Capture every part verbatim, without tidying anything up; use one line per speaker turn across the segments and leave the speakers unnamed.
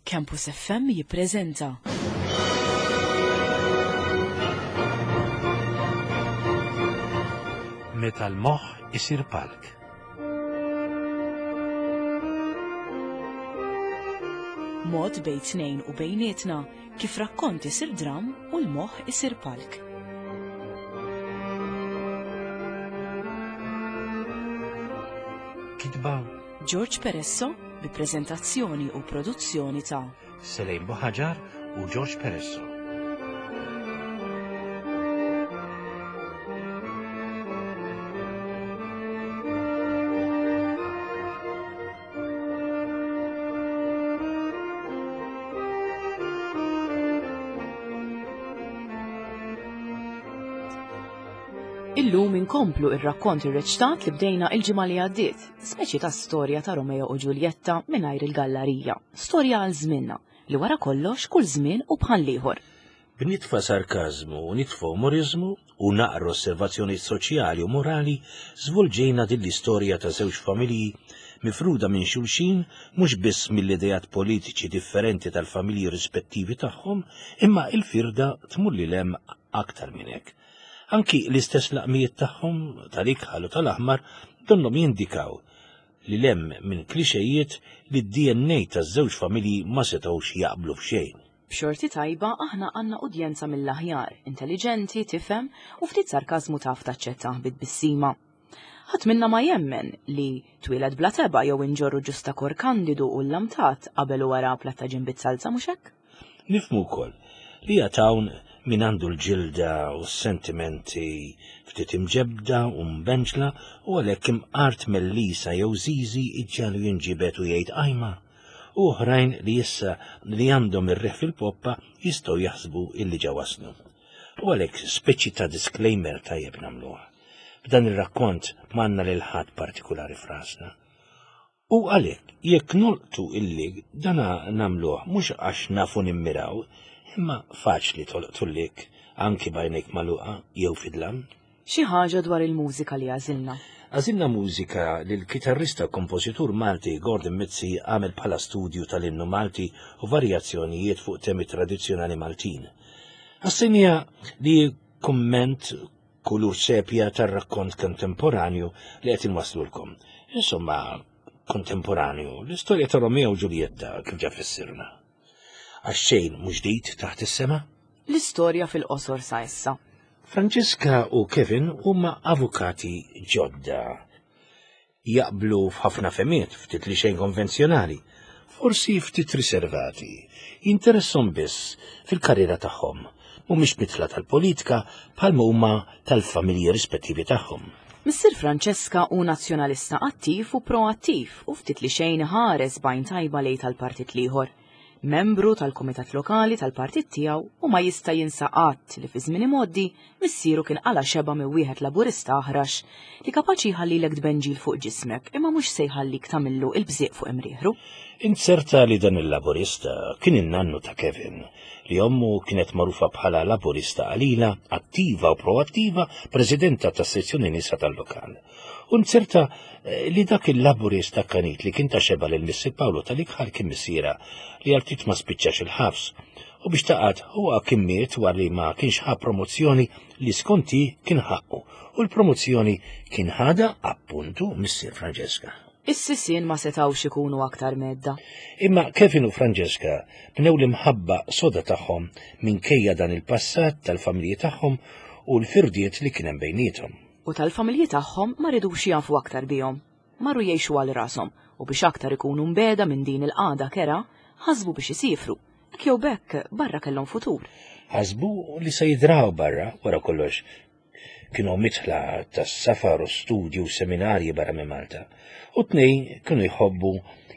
Campus F M jippreżenta
Meta l-moħħ isir palk.
Mod bejn tnejn u bejnietna kif rakkont isir dram u l-moħħ isir palk.
Kitba
George Peresso bi preżentazzjoni u produzzjoni ta'
Selejn Buħaġar u George Peresso.
Illum inkomplu ir-rakkont irreċtat li bdejna il-ġimgħa li għaddiet, speċi ta' storja ta' Romeo u Ġuljetta mingħajr il-gallarija, storja għal żmienna li wara kollox kull żmien u bħal ieħor.
B'nitfa sarkażmu u nitfa umorizmu u naqra osservazzjoni soċjali u morali żvolġejna din l-istorja ta' żewġ familji mifruda minn xulxin mhux biss mill-idejat politiċi differenti tal-familji rispettivi tagħhom, imma il-firda tmur lil hemm aktar minn hekk. Anki l-istess laqmijiet tagħhom tal-ikħal u tal-aħmar donnhom jindikaw li lem minn klixejiet li d-D N A taż-żewġ familji ma setgħux jaqblu f'xejn.
B'xorti tajba aħna għandna udjenza mill-aħjar, intelligenti, tifhem u ftit sarkażmu taf taċċettah bit-tbissima. Ħadd minna ma jemmen li twieled bla tebgħa jew inġorru ġustakor kandidu u l-lamtat qabel u wara platta ġimbit salza, mhux hekk?
Nifhmu wkoll li hawn min għandu l-ġilda u s-sentimenti ftit imġebda u mbenġla u għalhekk imqart mellisa jew zizi iġġalu jinġibet u jgħid ajma. U oħrajn li issa li għandhom ir-riħ fil-poppa jistgħu jaħsbu illi ġa waslu. U għalhekk speċi ta' disclaimer tajjeb nagħmluha. B'dan ir-rakkont m'għandna lil ħadd partikulari frasna. U għalhekk jekk nolqtu illi dana nagħmluh mhux għax nafu nimmiraw, imma faċli tolqtu lik anki b'għajnejk magħluqa jew fid-dlam.
Xi ħaġa dwar il-mużika li għażilna.
Għażilna mużika li l-kitarrista u kompożitur Malti Gordon Mizzi għamel bħala studju tal-innu Malti u varjazzjonijiet fuq temi tradizzjonali Maltin. Ħassejnija li kumment kulur sepja tar-rakkont kontemporanju li qed inwaslulkom. Insomma, kontemporanju, l-istorja ta' Romeo u Ġuljetta kif ġa fissirna. Għax xejn mhux ġdid taħt is-sema?
L-istorja fil-qosor sa issa.
Franġiska u Kevin huma avukati ġodda. Jaqblu f'ħafna fehmiet, ftit li xejn konvenzjonali, forsi ftit riservati, jinteressom biss fil-karriera tagħhom, mhumiex mitla tal-politika bħalma huma tal-familji rispettivi tagħhom.
Missier Franċeska hu nazzjonalista attiv u proattiv u ftit li xejn ħares b'għajn tajba lejn tal-partit l-ieħor. Membru tal-Kumitat Lokali tal-partit tiegħu u ma jista' jinsa qatt li fi żmien imgħoddi missieru kien qala xeba minn wieħed Laburista aħrax li kapaċi jħallilek tbenġil fuq ġismek imma mhux se jħallik tagħmillu il-bżieq fuq imrieħru.
Inzerta li dan il-Laburista kien in-nannu ta' Kevin, li ommu kienet magħrufa bħala Laburista qalila, attiva u proattiva, presidenta tas-sezzjoni nisa tal-lokal. U nzerta, eh, li dak il-Laburista kanit li kien ta' xeba lil Missier Paolo tal-ikħal kien missiera li għal ftit ma spiċċax il-ħabs. U biex taqgħad huwa kien miet wara li ma kienx ħa promozzjoni li skonti kien ħaqqu, u l-promozzjoni kien ħada appuntu Missier Franġeska.
Is-sisien ma setgħux ikunu aktar medda.
Imma Kevin u Franġeska bnew l-imħabba soda tagħhom minkejja dan il-passat tal-familji tagħhom u l-firdiet li kien hemm bejniethom.
U tal-familji tagħhom ma ridux jafu aktar bihom. Marru jgħixu għal rashom u biex aktar ikunu mbeda minn din il-qagħda kera, ħasbu biex isifru. Hekk jew bekk barra kellhom futur.
Ħasbu li se jidraw barra wara kollox. Kienu mitħla tas-safar u studju u seminarji barra minn Malta. U tnejn kienu jħobbu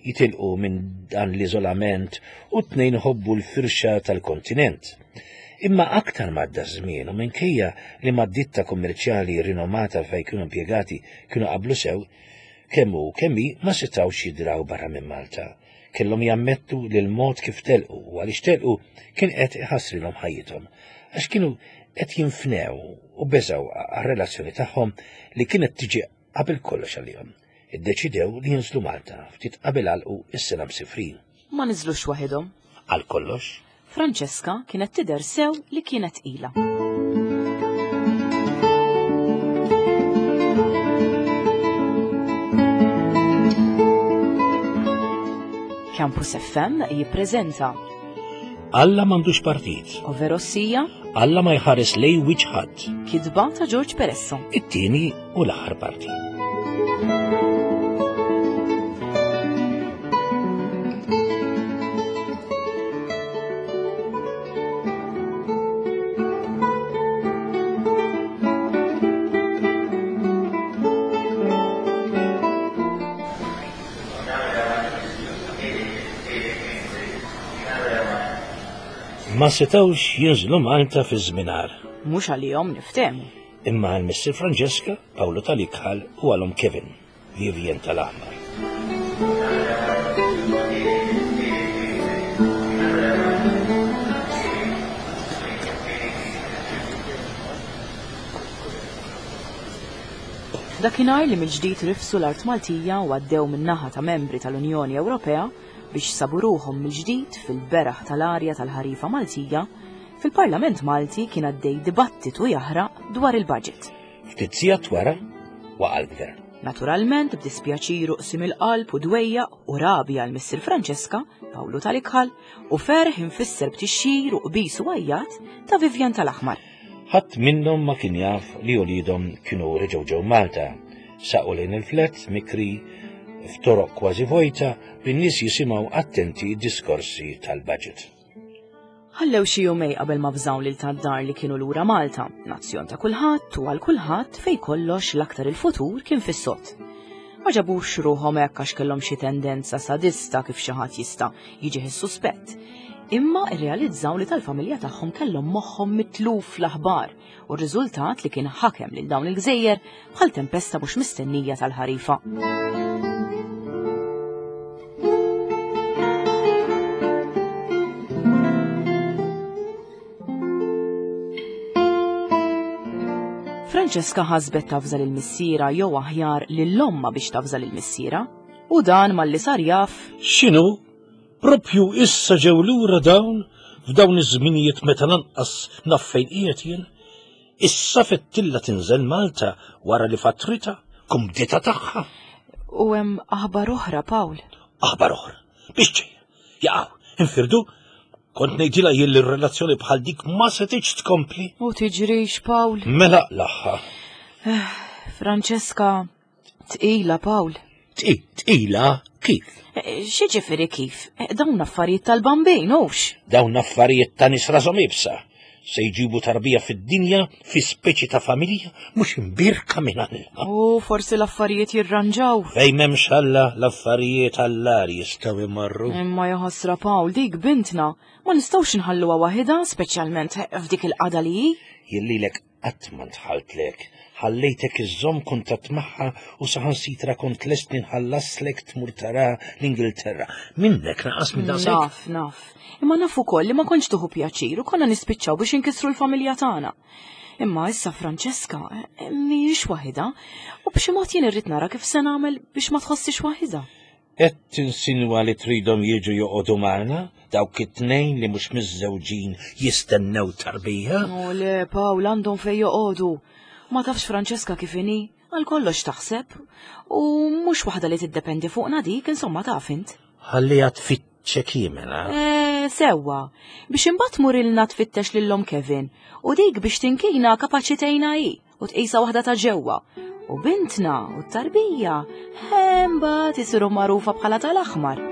jitilqu minn dan l-iżolament u tnejn jħobbu l-firxa tal-kontinent. Imma aktar m'għadda żmien u minkejja li mad-ditta kummerċjali rinomata fejn kienu impjegati kienu qablu sew, kemm hu kemm hi ma setgħux jidraw barra minn Malta. Kellhom jammettu li l-mod kif telqu u għaliex telqu kien qed iħassrilhom ħajjithom, għax kienu qed jinfnew u beżgħu għar-relazzjoni tagħhom li kienet tiġi qabel kollox għalihom. Iddeċidew li jinżlu Malta ftit qabel għalqu is-sena msifrin.
Ma niżlux waħedhom.
Għal kollox.
Francesca kienet tidher sew li kienet tqila. Campus F M jippreżenta
Alla m'għandux partit.
Overossija.
Alla ma jħares lej wiċċ ħadd.
Kitba ta' George Peresso.
It-tieni u l-aħħar parti. Ma setawx jinżlu Malta fi żminar.
Mhux għalihom niftehmu.
Imma għal Missier Francesca, Paolo tal-Ikħal u għalhom Kevin, Vivien tal-Aħmar.
Dakinhar li mill-ġdid rifsu l-art Maltija u għaddew min-naħa ta' membri tal-Unjoni Ewropea biex sabu ruħhom mill-ġdid fil-beraħ tal-arja tal-ħarifa Maltija, fil-Parlament Malti kien għaddej dibattitu jaħraq dwar il-budget.
Ftit sigħat wara waqa' l-gvern.
Naturalment, b'dispjaċir u qsim il-qalb u dwejjaq u rabja għal Missier Francesca, Pawlu tal-Ikħal, u ferħ infisser b'tixxir u qbis u għajjat ta' Vivien tal-Aħmar.
Ħadd minnhom ma kien jaf li uliedhom kienu reġgħu ġew Malta, saqu lejn il-flet mikri f'toroq kważi vojta bin-nies jisimgħu attenti d-diskorsi tal-budget.
Ħallew xi jumej qabel ma fżaw lil tad-dar li kienu lura Malta, nazzjon ta' kulħadd u għal kulħadd fej kollox l-aktar il-futur kien fis-sod. Ma ġabux ruħhom hekk għax kellhom xi tendenza sadista kif xi ħadd jista' jiġih is-suspett. Imma rrealizzaw li tal-familja tagħhom kellhom moħħhom mitluf l-aħbar u r-riżultat li kien ħakem lil dawn il-gżejjer bħal tempesta mhux mistennija tal-ħarifa. Francesca ħasbet tafża lil missiera jew aħjar lil omma biex tafża lil missiera, u dan malli sar jaf.
X'inhu? Propju issa ġew lura dawn f'dawn iż-żminijiet meta lanqas naf fejn qiegħed jien. Issa fettilla tinżel Malta wara li fatrita kumdita tagħha.
U hemm aħbar oħra, Pawl.
Aħbar oħra? Biex ġejja? Jaqgħu, infirdu? Kont ngħidilha jien li r-relazzjoni bħal dik ma setgħetx tkompli.
U tiġrix, Pawl.
Mela l-aħħar.
Francesca, tqila, Pawl.
Tqila kif?
X'jiġifieri kif? Dawn affarijiet tal-bambin, hux?
Dawn affarijiet ta' nies rashom iebsa. Se jġibu tarbija fid-dinja fi speċi ta' familja mhux imbirka minn Alla.
U forsi l-affarijiet jirranġaw.
Fejn m'hemmx Alla, l-affarijiet għall-ar jistgħu jmorru.
Imma jaħasra Pawl, dik bintna ma nistgħux inħalluha waħedha, speċjalment f'dik il-qada li hi.
Jillilek qatt ma ntħaltlek, ħallejtek iżżomm kuntatt magħha u saħansitra kont lest nħallaslek tmur tara l-Ingilterra. Minnek naqas minn daqshekk.
Naf, naf. Imma naf ukoll li ma kontx tuħu pjaċir u konna nispiċċaw biex inkissru l-familja tagħna. Imma issa Francesca mhijiex waħedha u b'xi mod jien irrid nara kif se nagħmel biex ma tħossix waħedha.
Qed tinsinwa li tridhom jiġu joqogħdu magħna dawk it-tnejn li mhux miżżewġin jistennew tarbija?
O le, Pawl, għandhom fejn joqogħdu. Ma tafx Francesca kif inhi, għal kollox taħseb u mhux waħda li tiddependi fuqna dik, insomma taf int.
Ħalliha tfittxek mela.
Eh, sewwa, biex imbagħad tmurilna tfittex lil omm Kevin u dik biex tinkina kapaċi tgħinha hi u tqisha waħda ta' ġewwa. U bintna u t-tarbija imbagħad isiru magħrufa bħala tal-aħmar.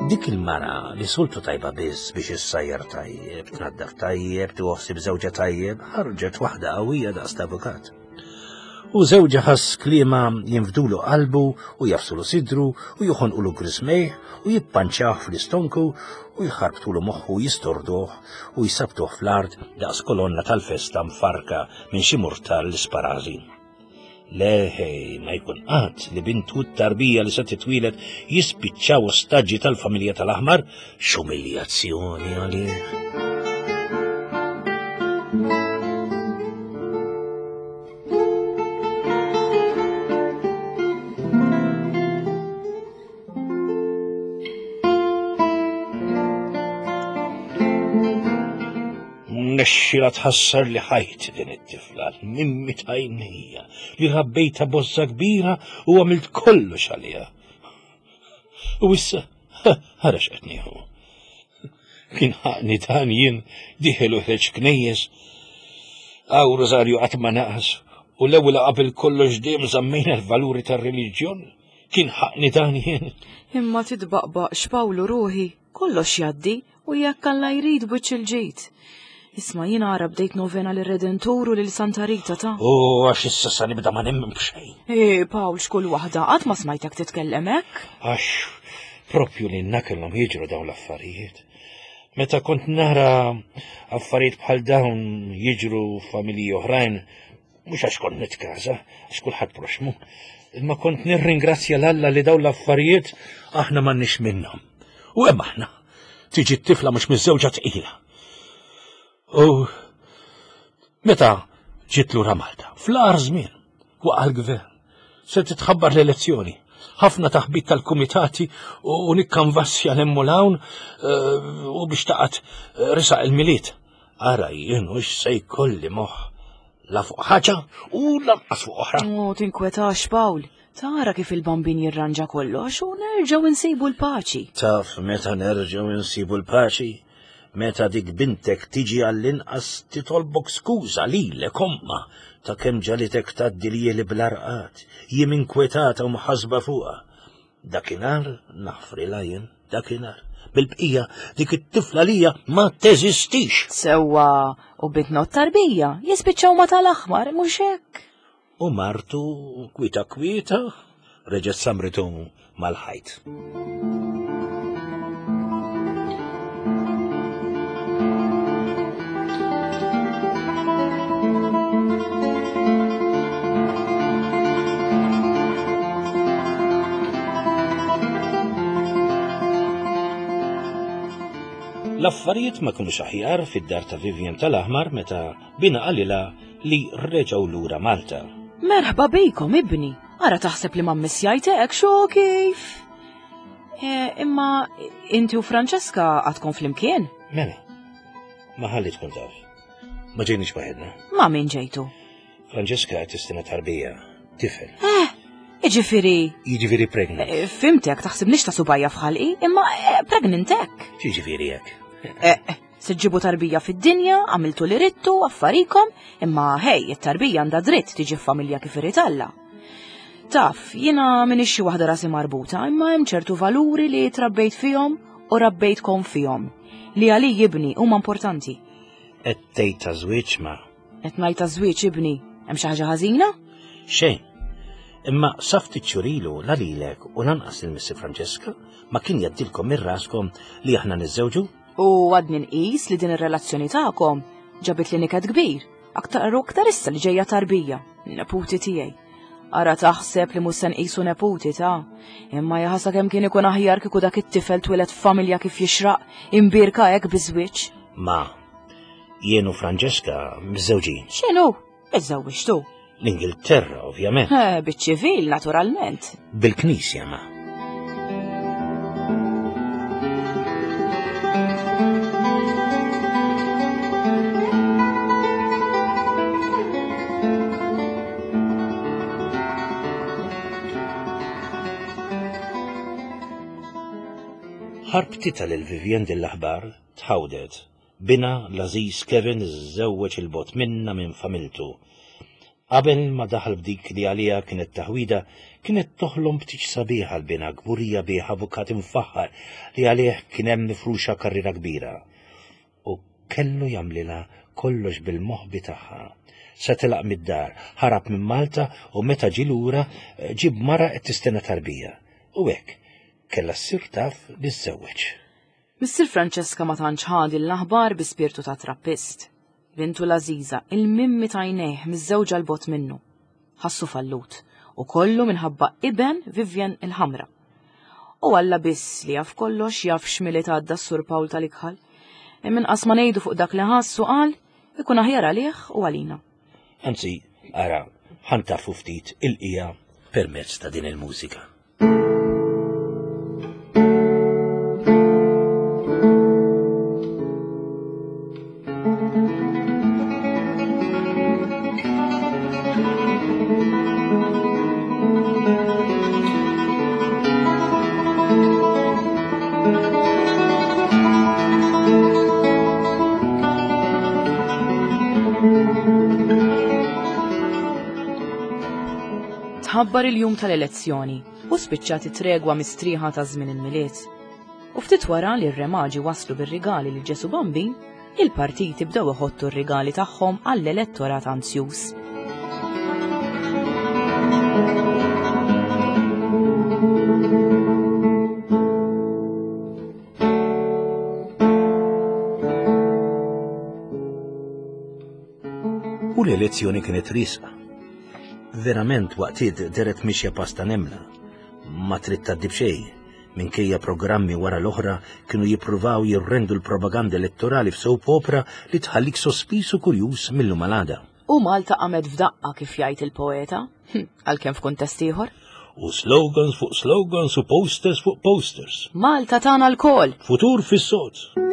Dik il-mara li sultu tajba biss biex issajjar tajjeb, tnaddaf tajjeb, tuħsib żewġha tajjeb, ħarġet waħda qawwija daqs l-avukat. U żewġha ħass kliema jinfdulu qalbu u jafsulu sidru u joħonqulu grismejh u jippanċjah fl-istonku u jħarbtulu moħħu jistorduh u jsabtuh fl-art daqs kolonna tal-festa mfarka minn xi murtal l-isparażin. Leħej, ma jkun qatt li bintu t-tarbija li se titwieled jispiċċaw ostaġġi tal-familja tal-Aħmar, x'umiljazzjoni għalih. Nexxila tħassar li ħajti din it-tifla, mimmi tajnija, li rabbejta bozza kbira u għamilt kollox għaliha. U issa, ħara x'qed nieħu. Kien ħaqni dan jien diħel u ħreġ knejjes. Għaw Rosario qatt ma naqas, u l-ewwel qabel kollox dejjem żammejna l-valuri tar-reliġjon. Kien ħaqni dan jien.
Imma titbaqbaqx Pawlu ruħi, kollox jgħaddi u jekk Alla jrid wiċċ il-ġid. Isma' jiena ara bdejt novena lir-Redentur u lil Santa Rita ta'.
U għax issa sa nibda ma nemmen b'xejn.
Eh, Pawl, x'kull waħda qatt ma smajtek titkellem hekk.
Għax propju li kellhom jiġru dawn l-affarijiet. Meta kont nara affarijiet bħal dawn jiġru f'familji oħrajn, mhux għax kont nitkaża, għax kulħadd proxmu, imma kont nirringrazzja l-Alla li dawn l-affarijiet aħna m'għandniex minnhom. U hemm aħna, tiġi t-tifla mhux miżżewġa tqila. U meta ġiet lura Malta, fl-agħar żmien, waqa' l-gvern, se titħabbar l-elezzjoni, ħafna taħbit tal-kumitati u nikkanvassja 'l hemm u 'l hawn u biex taqgħod risaq il-Milied. Ara jien hux se jkolli moħħ la fuq ħaġa u lanqas fuq oħra.
U tinkwetax Pawl, tara kif il-Bambin jirranġa kollox u nerġgħu nsibu l-paċi.
Taf meta nerġgħu nsibu l-paċi? Meta dik bintek tiġi għall-inqas titolbok skuża lilek omma ta' kemm ġalitek tgħaddi ljieli bl-arqat, jiem inkwetata u mħasba fuqha. Dakinhar naħfrilha jien, dakinhar. Bil-bqija dik it-tifla lija ma teżistix.
Sewwa, u bintna u t-tarbija jispiċċaw ma tal-Aħmar, mhux hekk?
U martu kwieta kwieta reġgħet samritu mal-ħajt. L-affarijiet ma kinux aħjar fid-dar ta' Vivian tal-Aħmar meta bina qalilha li reġgħu lura Malta.
Merħba bikom, ibni. Ara taħseb li ma mmissjajtek, xo kif? E, imma inti u Francesca għadkom flimkien?
Mela, ma ħalli tkun taf. Ma ġejniex waħedna.
Ma min ġejtu?
Francesca qed tistenna tarbija, tifel.
Eh, jiġifieri.
Jiġifieri pregnant.
E, fimtek, taħsibniex ta' subajja f'ħalqi, imma e, pregnant hekk.
Jiġifieri hekk.
Eh, se ġġibu tarbija fid-dinja, għamiltu li rittu, affarikom, imma hej, it-tarbija għandha dritt tiġi f'familja kif irid Alla. Taf, jiena m'iniex xi waħda rasi marbuta, imma hemm ċertu valuri li trabbejt fihom u rabbejtkom fihom, li għalija ibni huma importanti.
Qed tgħid ta' żwieġ ma?
Qed ngħid ta' żwieġ ibni, hemm xi ħaġa ħażina?
Xejn. Imma sa ftit xhur ilu la lilek u lanqas lil Missi Francesca ma kien jgħaddilkom minn raskom li aħna niżżewġu?
U għadni nqis li din ir-relazzjoni tagħkom ġabit li niket kbir, aktar u aktar issa li ġejja tarbija, neputi tiegħi. Ara taħseb li mhux se nqisu neputi ta', imma jaħasha kemm kien ikun aħjar kieku dak it-tifel twieled f'familja kif jixraq, imbierka hekk biż-żwieġ.
Ma, jien u Francesca miżżewġin.
X'inhu? Iżżewġtu?
L-Ingilterra, ovvjament.
Eh, biċ-ċivil, naturalment.
Bil-knisja, ma. Ħarbtitha lil Vivian din l-aħbar, tħawdet. Bina l-għażiż Kevin iżżewweġ il-bogħod minna minn familtu. Qabel ma daħal b'dik li għaliha kienet taħwida, kienet toħlom b'tiġ sabiħa l-bina kburija bih avukat imfaħħar li għalih kien hemm mifruxa karriera kbira. U kellu jagħmlilha kollox bil-moħbi tagħha. Se telaq mid-dar, ħarab minn Malta u meta ġie lura ġib mara qed tistenna tarbija. U hekk kellha ssir taf li żżewweġ.
Missier Francesca ma tantx ħa din l-aħbar bi spirtu ta' trappist. Bintu l-għażiża, il-mimmi tajnejh miżżewġa l-bogħod minnu. Ħassu fallut u kollu minħabba iben Vivian il-Ħamra. U Alla biss li jaf kollox jaf x'miliet għadda s-Sur Pawl tal-Ikħal. Imma inqas ma ngħidu fuq dak li ħassu qal ikun aħjar għalih u għalina.
Anzi, ara, ħa ntaffu ftit il-qija permezz ta' din il-mużika.
Tħabbar il-jum tal-elezzjoni u spiċċat it-tregwa mistrieħa ta' żmien il-Milied. U ftit wara li r-remaġi waslu bir-rigali li Ġesu Bambin, il-partiti bdew iħottu r-rigali tagħhom għall-elettorat anzjuż.
U l-elezzjoni kienet risqa. Verament waqtiet deret mixja pasta nemla. Ma trid tgħaddi b'xejn, minkejja programmi wara l-oħra kienu jippruvaw jirrendu l-propaganda elettorali f'soap opera li tħallik sospiż u kurjuż mill-lum għal għada.
U Malta qamet f'daqqa kif jgħid il-poeta, għalkemm f'kuntest ieħor.
U slogans fuq slogans u posters fuq posters.
Malta tagħna lkoll.
Futur fis-sod.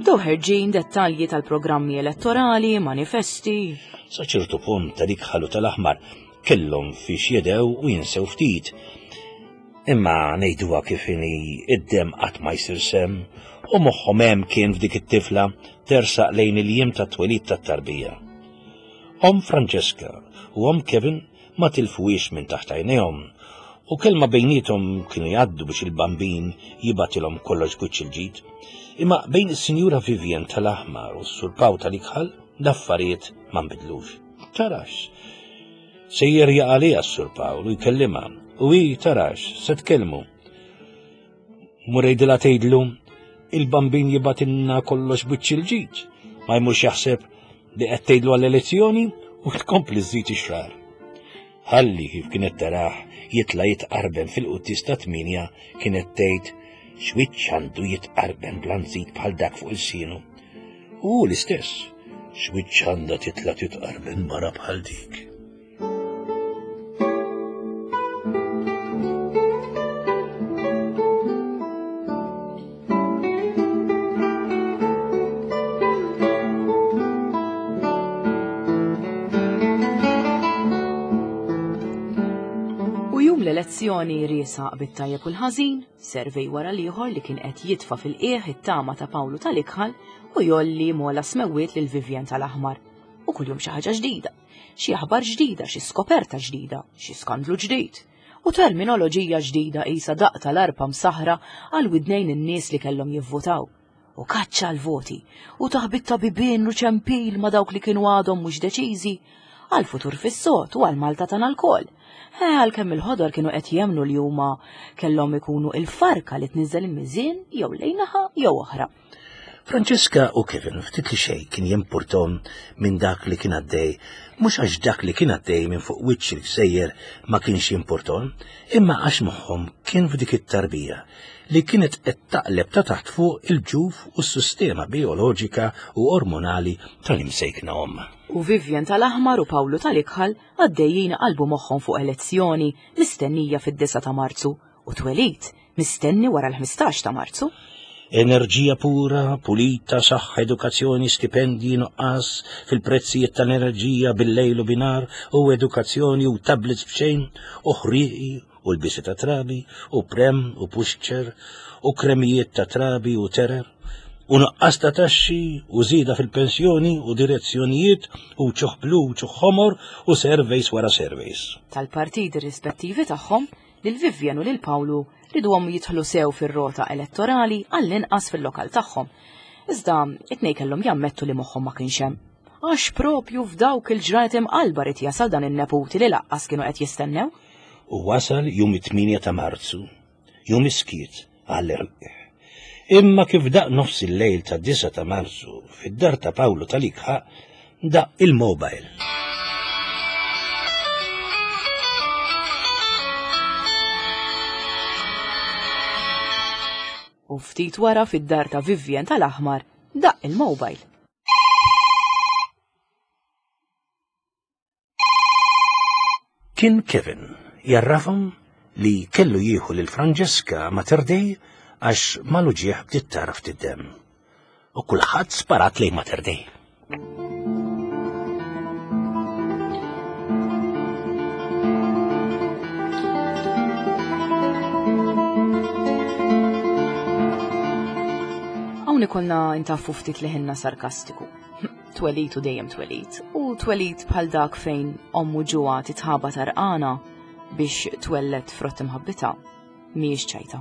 Bdew ħerġin dettalji tal-programmi elettorali, manifesti.
Sa ċertu punt ta' dik ħalu tal-aħmar kellhom fiex jedew u jinsew ftit. Imma ngħiduha kif inhi id-dem qatt ma jsir sem u moħħhom hemm kien f'dik it-tifla tersaq lejn il-jiem tat-twelid tat-tarbija. Om Francesca u om Kevin ma tilfuhiex minn taħt għajnejhom u kelma bejniethom kienu jgħaddu biex il-bambin jibatilhom kollox b'wiċċ il-ġid. Imma bejn is-Sinjura Vivian tal-Aħmar u s-Sur Paw tal-Ikħal l-affarijiet ma nbidlux. Tarax, sejjer jaqalija s-Sur Pawl u jkellimha u hi tarax se tkellmu. Murejdilha tgħidlu il-bambin jibatilna kollox b'wiċċ il-ġid, ma jmurx jaħseb li qed tgħidlu għall-elezzjoni u tkompli żżid ix-xahar. Ħalli kif kienet taraħ jitla' jitqarben fil-quddies ta' tminja kienet tgħid x'wiċċ għandu jitqarben blanzit bħal dak fuq il-sienu. U l-istess, x'wiċċ għandha titla' titqarben mara bħal dik.
U jum l-elezzjoni riesaq bit-tajjeb u l-ħażin, servej wara l-ieħor li kien qed jitfa' fil-qiegħ it-tama ta' Pawlu tal-Ikħal u jolli mola smewwiet lil Vivian tal-Aħmar. U kuljum xi ħaġa ġdida, xi aħbar ġdida, xi skoperta ġdida, xi skandlu ġdid. U terminoloġija ġdida qisha daqq tal-arpa msaħra għal widnejn in-nies li kellhom jivvotaw. U kaċċa l-voti, u taħbit ta' bibien u ċempil ma' dawk li kienu għadhom mhux deċiżi, għal futur fis-sod u għal Malta tagħna lkoll. Eh, għalkemm il-ħodor kienu qed jemnu li huma kellhom ikunu il-farka li tniżel il-miżien jew lejn naħa jew oħra.
Francesca u Kevin ftit li xejn kien jimpurtom minn dak li kien għaddej, mhux għax dak li kien għaddej minn fuq wiċċ il-gżejjer ma kienx jimpurtom, imma għax moħħhom kien f'dik it-tarbija li kienet qed taqleb ta' taħt fuq il-ġuf u s-sistema bioloġika u ormonali tal-imsejkna omm.
U Vivian tal-Aħmar u Pawlu tal-Ikħal għaddejjin qalbu moħħhom fuq elezzjoni mistennija fid-disgħa ta' Marzu u twelid mistenni wara l-ħmistax ta' Marzu.
Enerġija pura, pulita, saħħa, edukazzjoni, stipendji, nuqqas fil-prezzijiet tal-enerġija bil-lejl u binar, u edukazzjoni u tablets b'xejn, u ħrieqi u l-bisi ta' trabi, u prem u pushchair, u kremijiet ta' trabi u terer, u nuqqas ta' taxxi, u żieda fil-pensjoni, u direzzjonijiet, u ċuħ blu, u ċuħ ħomor, u surveys wara surveys.
Tal-partiti rispettivi tagħhom, lil Vivian u lil Pawlu riduhom jidħlu sew fir-rota elettorali għall-inqas fil-lokal tagħhom. Iżda it-tnejn kellhom jammettu li moħħhom ma kienx hemm. Għax propju f'dawk il-ġranet imqalba rid jasal dan in-neputi li laqqas kienu qed jistennew.
U wasal jum it-tmienja ta' Marzu, jum iskiet għall-erwieħ. Imma kif daq nofs il-lejl ta' disa ta' Marzu, fid-dar ta' Pawlu tal-Ikħa, daq il-mobile.
U ftit wara fid-dar ta' Vivian tal-Aħmar, daq il-mobile.
Kien Kevin jarrafhom li kellu jieħu lil Francesca Mater Dei għax mal-uġieħ bdiet tara ftit demm. U kulħadd sparat lejn Mater Dei.
Hawn ikollna intaffu ftit li ħinna sarkastiku. Twelit u dejjem twelit, u twelit bħal dak fejn ommu ġuha titħaba tarqana biex twellet frott imħabbita, mhijiex ċajta.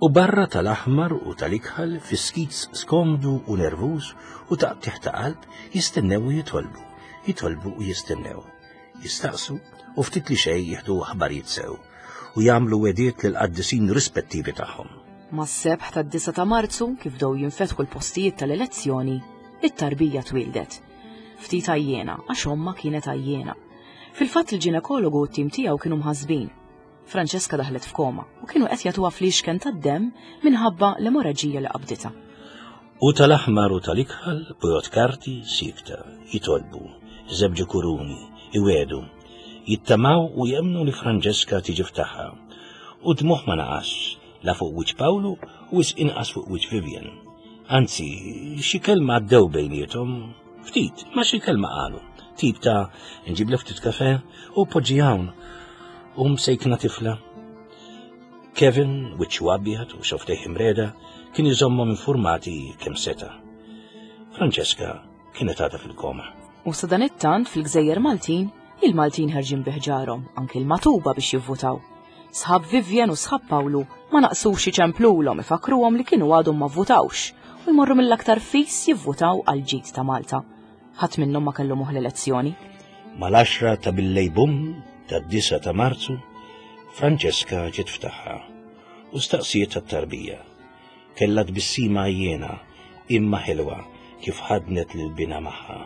U barra tal-aħmar u tal-ikħal fi skits skomdu u nervuż u taqtigħ ta' qalb jistennew u jitolbu, jitolbu u jistennew, jistaqsu u ftit li xejn jieħdu aħbarijiet sew u jagħmlu wediet lill-qaddisin rispettivi tagħhom.
Mas-sebħ tad-disa ta' Marzu, kif bdew jinfetħu l-postijiet tal-elezzjoni, it-tarbija twildet. Ftit għajjena, għax omma kienet għajjena. Fil-fatt il-ġinekologu u t-tim tiegħu kienu mħasbin. Francesca daħlet f'koma u kienu qed jagħtuha fliexken tad-demm minħabba l-emoraġija li qabditha.
U tal-aħmar u tal-ikħal bojot karti sikta, jitolbu, żebġu kuruni, iwedu, jittamaw u jemnu li Francesca tiġi ftaħħa. U dmuħ ma naqas, la fuq wiċċ Pawlu u wis inqas fuq wiċċ Vivian. Anzi, xi kelma għaddew bejniethom, ftit, ma xi kelma qalu. Tip ta' nġib ftit kafe u poġġi hawn. U msejkna tifla. Kevin, wiċċu abjad u xoftejh imreda, kien iżommhom informati kemm seta. Francesca kienet għadha fil-koma.
U sadanittant fil-Gżejjer Maltin, il-Maltin ħerġin biħġarhom, anki l-matuba biex jivvutaw. Sħab Vivian u sħab Pawlu ma naqsux iċemplulhom ifakruhom li kienu għadhom ma vvutawx u jmorru mill-aktar fis jivvutaw għal ġid ta' Malta. Ħadd minnhom ma kellu moħħ l-elezzjoni.
Mal-għaxra ta' billejl bum tad-disa ta' Marzu, Francesca ġiet ftaħħa u staqsiet tat-tarbija. Kellha tbissima għajjena imma ħelwa kif ħadnet lil bina magħha.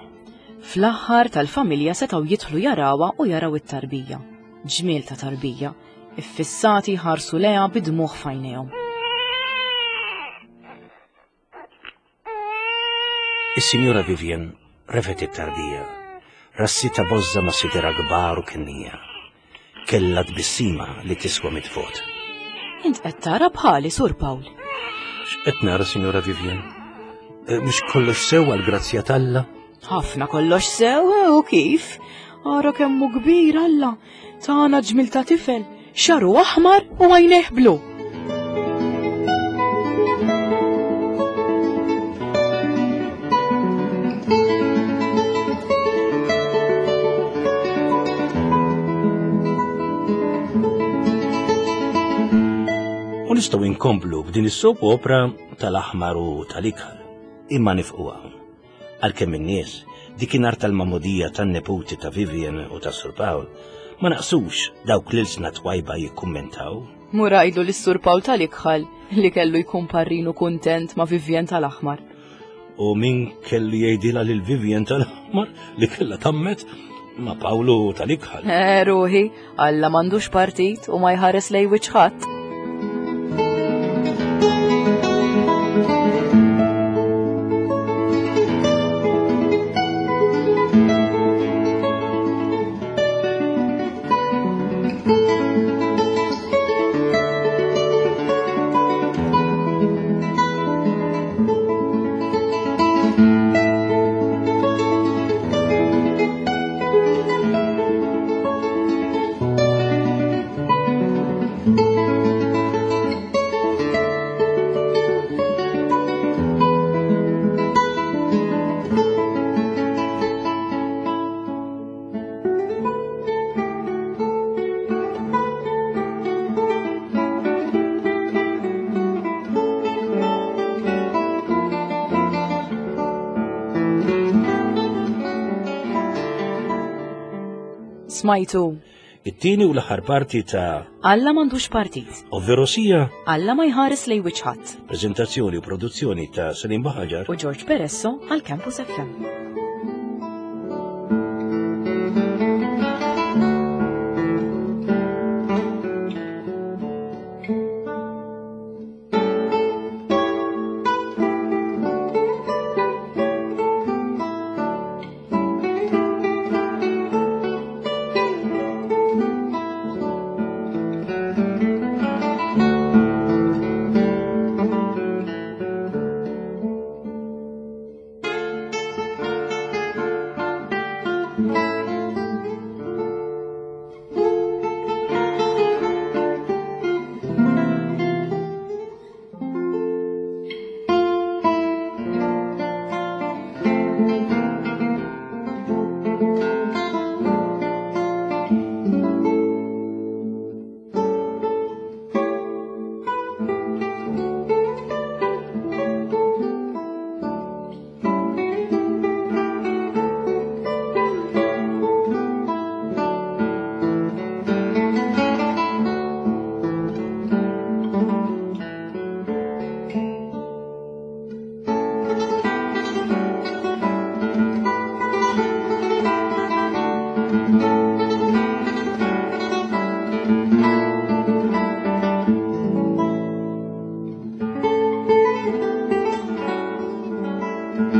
Fl-aħħar tal-familja setgħu jidħlu jarawha u jaraw it-tarbija. Ġmiel ta' tarbija, iffissati ħarsu leha bidmuħ f'għajnejhom.
Is-Sinjura Vivian refet it-tarbija, rassita bożza ma' sidera kbar u kennija. Kellha tbissima li tiswa mitt vot.
Int qed tara bħali, Sur Pawl.
X'qed nara, Sinjura Vivian? Eh, Mhux kollox sew għall-grazzja t'Alla?
Ħafna kollox sew, eh, u kif? Ara kemm hu kbir Alla, tana ġmil ta' tifel, xaru aħmar u għajnejh blu.
U nistgħu inkomplu b'din is-soap opera tal-aħmar u tal-ikħal, imma nifqu hawn. Għalkemm in-nies dikinhar tal-mamudija tan-neputi ta' Vivian u ta' Sur Pawl ma naqsux dawk l-ilsna twajba jikkummentaw.
Murajdu lis Sur Pawl tal-ikħal li kellu jkun parrinu kuntent ma' Vivian tal-aħmar.
U min kellu jgħidilha lil Vivian tal-aħmar li kellha tammet ma' Pawlu tal-ikħal.
Eh, ruħi, Alla m'għandux partit u ma jħares lej wiċċ ħadd. Smajtu.
It-tieni u l-aħħar parti ta'
Alla m'għandux partit.
Ovverosija,
Alla ma jħares lejn wiċċ ħadd.
Prezentazzjoni u produzzjoni ta' Salim Buhagiar
U George Peresso għal Campus F M.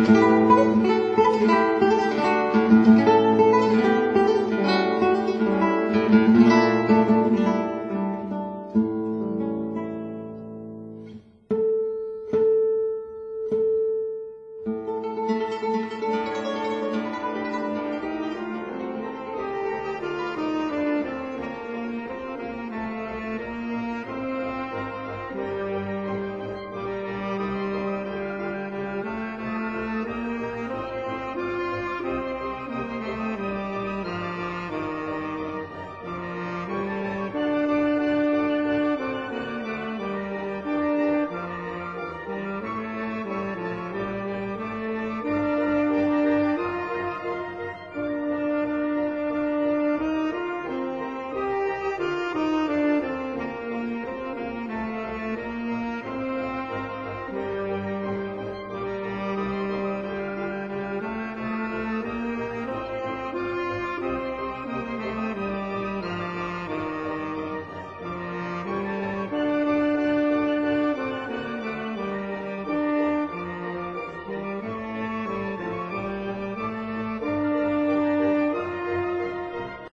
Thank you.